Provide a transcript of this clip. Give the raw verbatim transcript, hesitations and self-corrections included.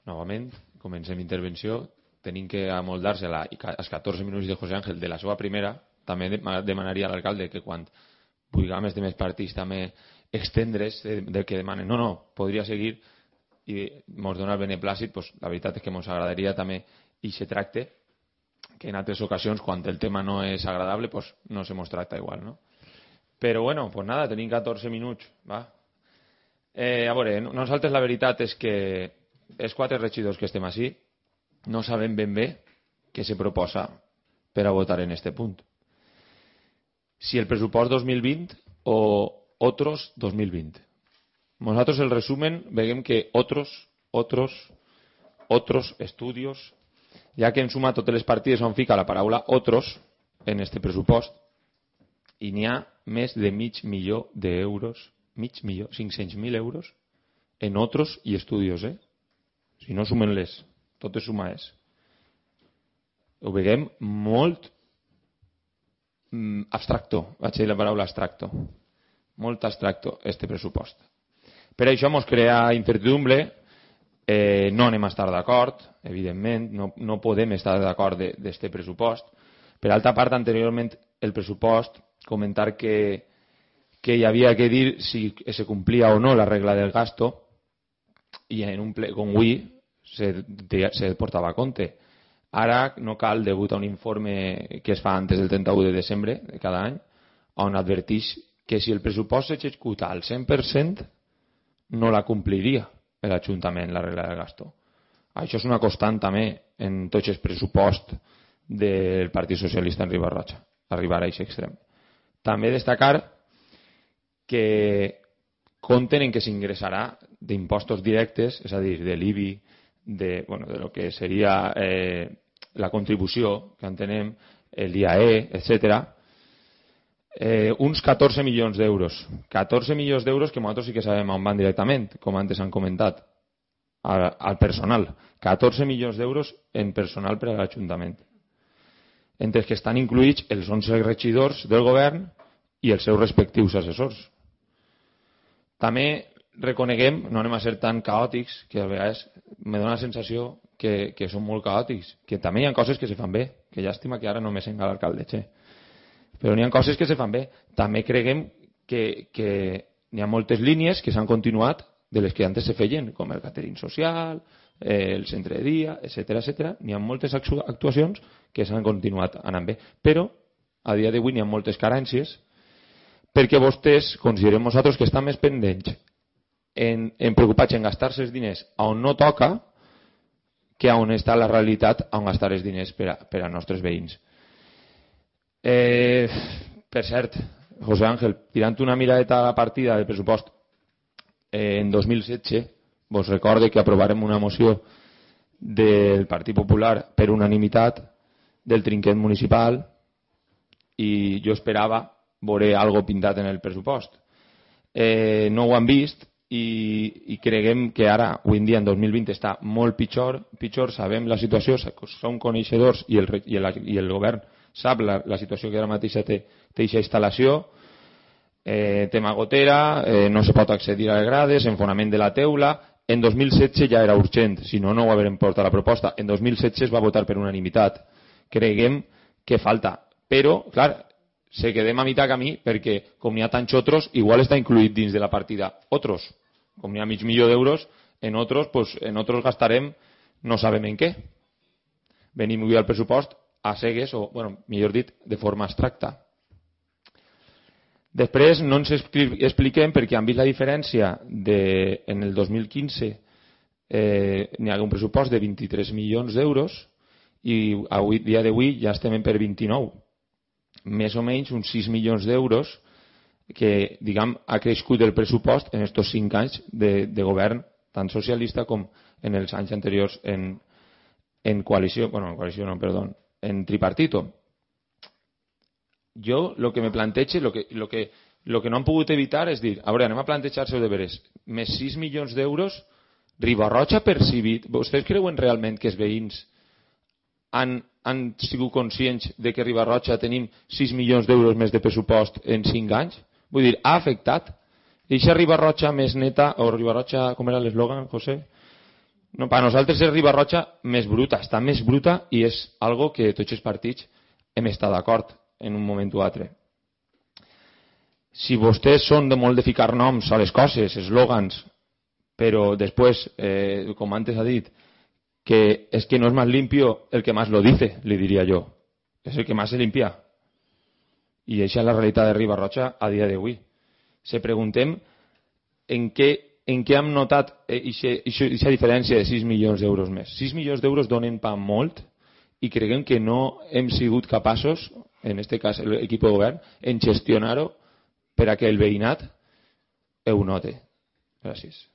novament, comencem intervenció, tenim que amoldar-se als catorze minuts de José Ángel de la seva primera. També demanaria a l'alcalde que quan vulguem de més partits també extendre's del que demanen. No, no, podria seguir i ens dona el beneplàcit. Pues, la veritat és que ens agradaria també i se tracte que en altres ocasions quan el tema no és agradable pues, no se mos tracta igual, no? Però bueno, pues nada, tenim catorze minuts, va. Eh, a veure, nosaltres la veritat és que els quatre regidors que estem així no sabem ben bé què se proposa per a votar en este punt. Si el pressupost dos mil vint o otros dos mil vint. Nosaltres el resumen veiem que otros, otros, otros estudios, ja que en suma totes les partides on fica la paraula otros en este pressupost i n'hi ha més de mig milió d'euros, mig milió, cinc-cents mil euros en otros i estudios, eh? Si no sumen-les, tot és suma és. Ho veiem molt mm, abstracto, vaig dir la paraula abstracto, molt abstracto este pressupost. Per això ens crea incertidumbre, eh, no anem a estar d'acord, evidentment, no, no podem estar d'acord d'este pressupost. Per altra part, anteriorment el pressupost, comentar que, que hi havia que dir si se complia o no la regla del gasto i en un ple com avui se, se portava a compte. Ara no cal, degut a un informe que es fa antes del trenta-u de desembre de cada any, on adverteix que si el pressupost s'executa al cent per cent no la compliria l'Ajuntament, la regla del gasto. Això és una constant també en tots els pressuposts del Partit Socialista en Riba-roja, arribar a aquest extrem. També destacar que compten en que s'ingressarà d'impostos directes, és a dir, de l'I B I, de, bueno, de lo que seria eh, la contribució que entenem, l'I A E, etcètera, eh, uns catorze milions d'euros. catorze milions d'euros que nosaltres sí que sabem on van directament, com antes han comentat, al, al personal. catorze milions d'euros en personal per a l'Ajuntament. Entre els que estan incluïts els onze regidors del govern i els seus respectius assessors. També reconeguem, no anem a ser tan caòtics, que a vegades me dóna la sensació que, que són molt caòtics, que també hi ha coses que se fan bé, que llàstima que ara no me senga l'alcalde, che. Però n'hi ha coses que se fan bé. També creguem que, que n'hi ha moltes línies que s'han continuat de les que antes se feien, com el catering social, el centre de dia, etcètera, etcètera. N'hi ha moltes actuacions que s'han continuat anant bé. Però, a dia d'avui, n'hi ha moltes carències perquè vostès considerem nosaltres que estan més pendents en, en preocupats en gastar-se els diners on no toca que on està la realitat on gastar els diners per a, per a nostres veïns. Eh, per cert, José Ángel, tirant una miradeta a la partida del pressupost eh, en dos mil setze, vos recorde que aprovarem una moció del Partit Popular per unanimitat del trinquet municipal i jo esperava veure algo pintat en el pressupost. Eh, no ho han vist i, i creguem que ara, avui en dia, en dos mil vint, està molt pitjor, pitjor, sabem la situació, som coneixedors i el, i el, i el govern sap la, la situació que ara mateix té aquesta instal·lació, eh, tema gotera, eh, no se pot accedir a les grades, enfonament de la teula. En dos mil setze ja era urgent, si no, no ho haurem portat la proposta. En dos mil setze es va votar per unanimitat. Creguem que falta. Però, clar, se quedem a mitjà camí perquè, com n'hi ha tants otros, igual està incluït dins de la partida otros. Com n'hi ha mig milió d'euros, en otros, pues, en otros gastarem no sabem en què. Venim avui al pressupost a cegues, o, bueno, millor dit, de forma abstracta. Després no ens expliquem perquè han vist la diferència de, en el dos mil quinze eh, n'hi ha un pressupost de vint-i-tres milions d'euros i avui, dia d'avui ja estem per vint-i-nou. Més o menys uns sis milions d'euros que, diguem, ha crescut el pressupost en aquests cinc anys de, de govern, tant socialista com en els anys anteriors en, en coalició, bueno, en coalició no, perdó, en tripartito. Jo, el que me plantejo, el que, lo que, lo que no han pogut evitar és dir, a veure, anem a plantejar-se de veres, més sis milions d'euros, Riba-roja percibit. Vostès creuen realment que els veïns han, han sigut conscients de que a Riba-roja tenim sis milions d'euros més de pressupost en cinc anys? Vull dir, ha afectat. Eixa Riba-roja més neta, o Riba-roja, com era l'eslògan, José? No, per nosaltres és Riba-roja més bruta, està més bruta i és algo que tots els partits hem estat d'acord en un moment o altre. Si vostès són de molt de ficar noms a les coses, eslògans, però després, eh, com antes ha dit, que és que no és més limpio el que más lo dice, li diria jo. És el que más se limpia. I això és la realitat de Riba-roja a dia d'avui. Se preguntem en què, en què hem notat aquesta diferència de sis milions d'euros més. sis milions d'euros donen pa molt i creguem que no hem sigut capaços, en aquest cas l'equip de govern, en gestionar-ho per a que el veïnat ho note. Gràcies.